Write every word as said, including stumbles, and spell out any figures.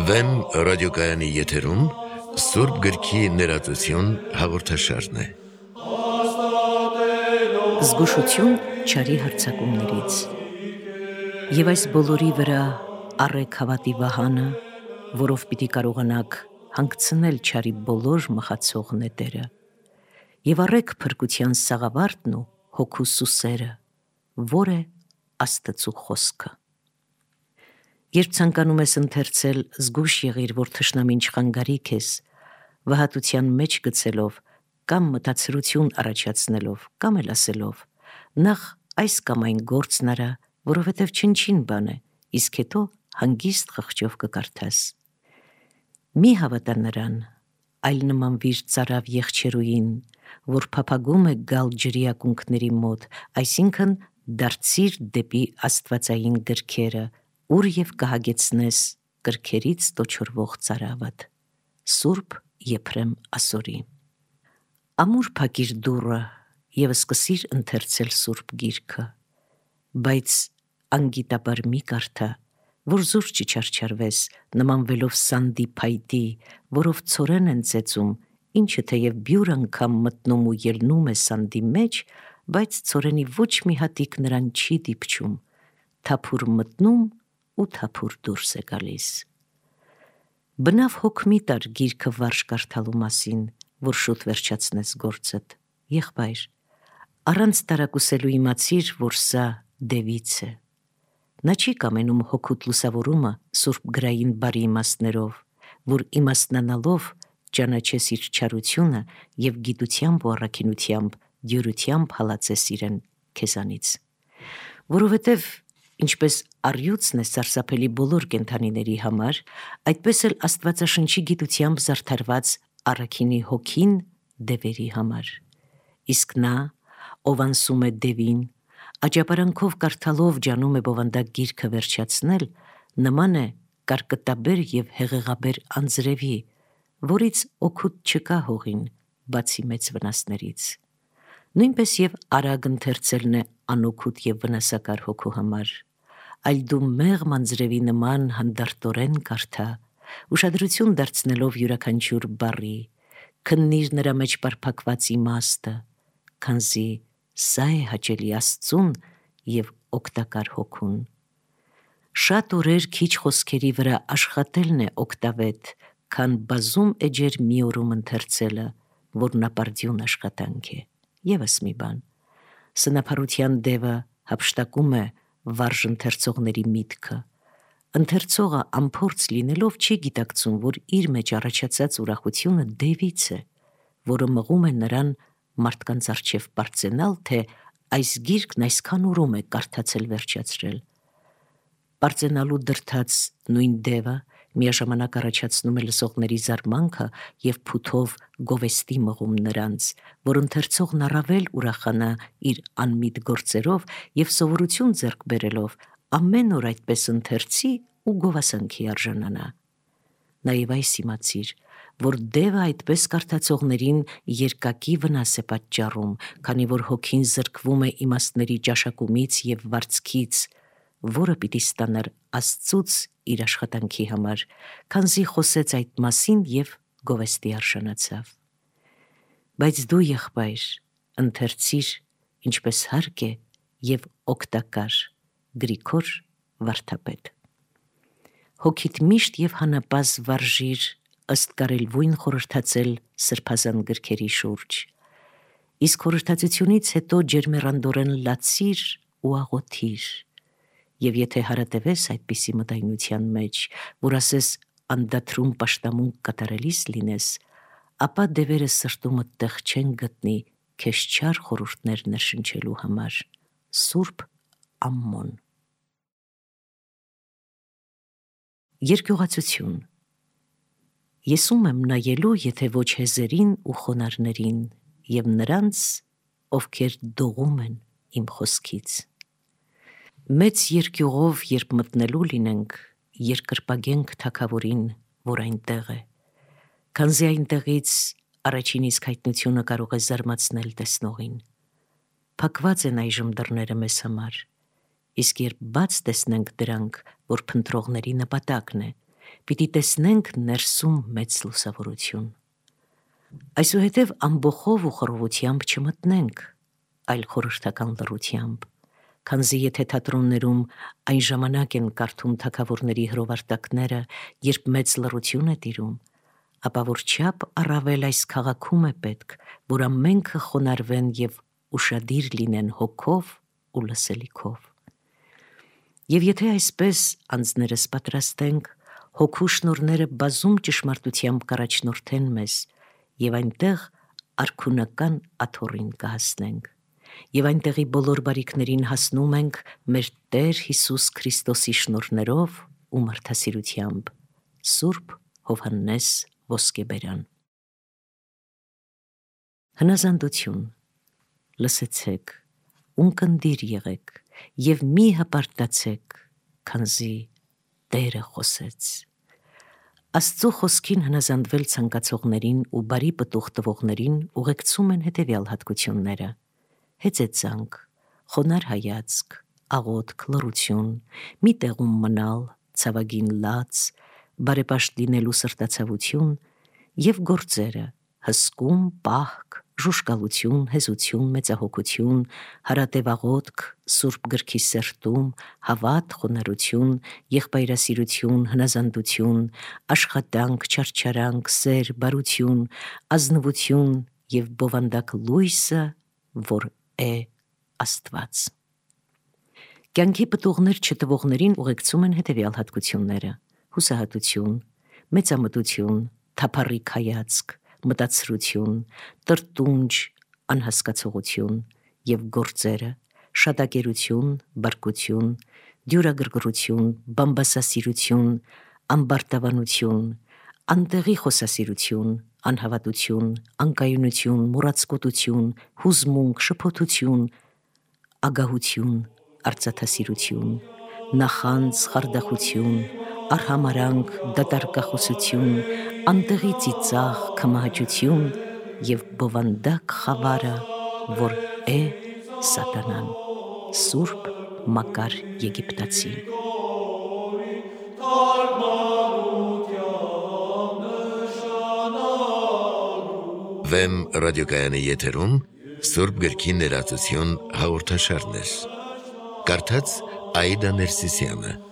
Վեմ ռադիոկայանի եթերում Սուրբ գրքի ներածություն հաղորդաշարն է։ Զգուշություն չարի հարձակումներից։ Եվ այս բոլորի վրա առեք հավատի վահանը, որով պիտի կարողանաք հանգցնել չարի բոլոր մխացող նետերը, և առեք փրկության սաղավարտն ու հոգու սուսերը, որ է Աստծու խոսքը։ Երբ ցանկանում ես ընթերցել, զգույշ եղիր, որ թշնամին չխանգարի քեզ, վհատության մեջ գցելով, կամ մտածրություն առաջացնելով, կամ էլ ասելով, նախ այս կամ այն գործն արա, որովհետև չնչին բան է, իսկ հետո հանգիստ խղճով կկարդաս։ Մի հավատա նրան, այլ նմանվիր ծարավ եղջերուին, որ փափագում է գալ ջրի ակունքների մոտ, այսինքն դարձիր դեպի աստվածային գրքերը, ուր և կհագեցնես գրքերից տոչորվող ծարավդ։ Սուրբ Եփրեմ Ասորի։ Ամուր փակիր դուռը և սկսիր ընթերցել Սուրբ Գիրքը, բայց անգիտաբար մի կարդա, որ զուր չչարչարվես, նմանվելով սանդի փայտի, որով ցորեն են ծեծում, ինչը թեև բյուր անգամ մտնում ու ելնում է սանդի մեջ, բայց ցորենի ոչ մի հատիկ նրան չի դիպչում, թափուր մտնում ու թափուր դուրս է գալիս։ Բնավ հոգ մի տար գիրքը վարժ կարդալու մասին, որ շուտ վերջացնես գործդ, եղբայր, առանց տարակուսելու իմացիր, որ սա դևից է։ Նա չի կամենում հոգուտ լուսավորումը սուրբ գրային բարի իմաստներով, որ իմաստնանալով ճանաչես իր չարությունը և գիտությամբ ու առաքինությամբ, դյուրությամբ հալածես իրեն քեզանից։ Որովհետև ինչպես առյուծն է սարսափելի բոլոր կենդանիների համար, այդպես էլ Աստվածաշնչի գիտությամբ զարդարված առաքինի հոգին դևերի համար։ Իսկ նա, ով անսում է դևին, աճապարանքով կարդալով ջանում է բովանդակ գիրքը վերջացնել, նման է կարկտաբեր և հեղեղաբեր անձրևի, որից օգուտ չկա հողին, բացի մեծ վնասներից։ Նույնպես և արագ ընթերցելն է անօգուտ և վնասակար հոգու համար, այլ դու մեղմ անձրևի նման հանդարտորեն կարդա, ուշադրություն դարձնելով յուրաքանչյուր բառի, քննիր նրա մեջ պարփակված իմաստը, քանզի սա է հաճելի Աստծուն և օգտակար հոգուն։ Շատ օրեր քիչ խոսքերի վրա աշխատելն է օգտավետ, քան բազում էջեր մի օրում ընթերցելը, որն ապարդյուն աշխատանք է։ Եվս մի բան, սնափառության դևը հափշտակում է վարժ ընթերցողների միտքը։ Ընթերցողը անփորձ լինելով չի գիտակցում, որ իր մեջ առաջացած ուրախությունը դևից է, որը մղում է նրան մարդկանց առջև պարծենալ, թե այս գիրքն այսքան ուրում է կարդացել վերջացրել։ Պարծենալու դրդած նույն դևը միաժամանակ առաջացնում է լսողների զարմանքը և փութով գովեստի մղում նրանց, որ ընթերցողն առավել ուրախանա իր անմիտ գործերով և սովորություն ձեռք բերելով ամեն օր այդպես ընթերցի ու գովասանքի արժանանա։ Նաև այս իմացիր, որ դևը այդպես կարդացողներին երկակի վնաս է պատճառում, քանի որ հոգին զրկվում է իմաստների ճաշակումից և վարձքից, որը պիտի ստանար Աստծուց իր աշխատանքի համար, քանզի խոսեց այդ մասին և գովեստի արժանացավ։ Բայց դու, եղբայր, ընթերցիր, ինչպես հարկ է և օգտակար, Գրիգոր Վարդապետ։ Հոգիդ միշտ և հանապազ վարժիր ըստ կարելվույն խորհրդածել սրբազան գրքերի շուրջ, իսկ խորհրդածությունից հետո ջերմեռանդորեն լացիր ու աղոթիր, և եթե հարատևես այդպիսի մտայնության մեջ, որ ասես անդադրում պաշտամունք կատարելիս լինես, ապա դևերը սրտումդ տեղ չեն գտնի քեզ չար խորհուրդներ ներշնչելու համար։ Սուրբ Ամմոն։ Երկյուղացություն։ Ես ում եմ նայելու, եթե ոչ հեզերին ու խոնարհներին և նրանց, ովքեր դողում են իմ խոսքից։ Մեծ երկյուղով երբ մտնելու լինենք, երկրպագենք թագավորին, որ այնտեղ է, քանզի այնտեղից առաջին իսկ հայտնությունը կարող է զարմացնել տեսնողին։ Փակված են այժմ դռները մեզ համար, իսկ երբ բաց տեսնենք դրանք, որ փնտրողների նպատակն է, պիտի տեսնենք ներսում մեծ լուսավորություն։ Այսուհետև ամբոխով ու խռովությամբ չմտնենք, այլ խորհրդական լռությամբ, քանզի եթե թատրոններում այն ժամանակ են կարդում թագավորների հրովարտակները, երբ մեծ լռություն է տիրում, ապա որչափ առավել այս քաղաքում է պետք, որ ամենքը խոնարհվեն և ուշադիր լինեն հոգով ու լսելիքով։ Եվ եթե այսպես անձներս պատրաստենք, հոգու շնորհները բազում ճշմարտությամբ կառաջնորդեն մեզ, և այնտեղ արքունական աթոռին կհասնենք, և այնտեղի բոլոր բարիքներին հասնում ենք մեր Տեր Հիսուս Քրիստոսի շնորհներով ու մարդասիրությամբ։ Սուրբ Հովհաննես Ոսկեբերան։ Հնազանդություն։ Լսեցեք, ունկնդիր եղեք և մի հպարտացեք, քանզի Տերը խոսեց։ Աստծո խոսքին հնազանդվել ցանկացողներին ու բարի պտուղ տվողներին ուղեկցում են հետևյալ հատկությունները՝ հեծեծանք, խոնարհ հայացք, աղոթք, լռություն, մի տեղում մնալ, ցավագին լաց, բարեպաշտ լինելու սրտացավություն և գործերը՝ հսկում, պահք, ժուժկալություն, հեզություն, մեծահոգություն, հարատև աղոթք, Սուրբ գրքի սերտում, հավատ, խոնարհություն, եղբայրասիրություն, հնազանդություն, աշխատանք, չարչարանք, սեր, բարություն, ազնվություն և բովանդակ լույսը, որ է Աստված։ Կյանքի պտուղներ չտվողներին ուղեկցում են հետևյալ հատկությունները՝ հուսահատություն, մեծամտություն, թափառիկ հայացք, մտածրություն, տրտունջ, անհասկացողություն և գործերը՝ շատակերություն, բարկություն, դյուրագրգռություն, բամբասասիրություն, ամբարտավանություն, անտեղի խոսասիրություն, անհավատություն, անկայունություն, մոռացկոտություն, հուզմունք, շփոթություն, ագահություն, արծաթասիրություն, նախանձ, խարդախություն, արհամարհանք, դատարկախոսություն, անտեղի ծիծաղ, քմահաճություն և բովանդակ խավարը, որ է Սատանան։ Սուրբ Մակար Եգիպտացի։ Վեմ ռադիոկայանի եթերում Սուրբ գրքի ներածություն հաղորդաշարներ։ Կարդաց Աիդա Ներսիսյանը։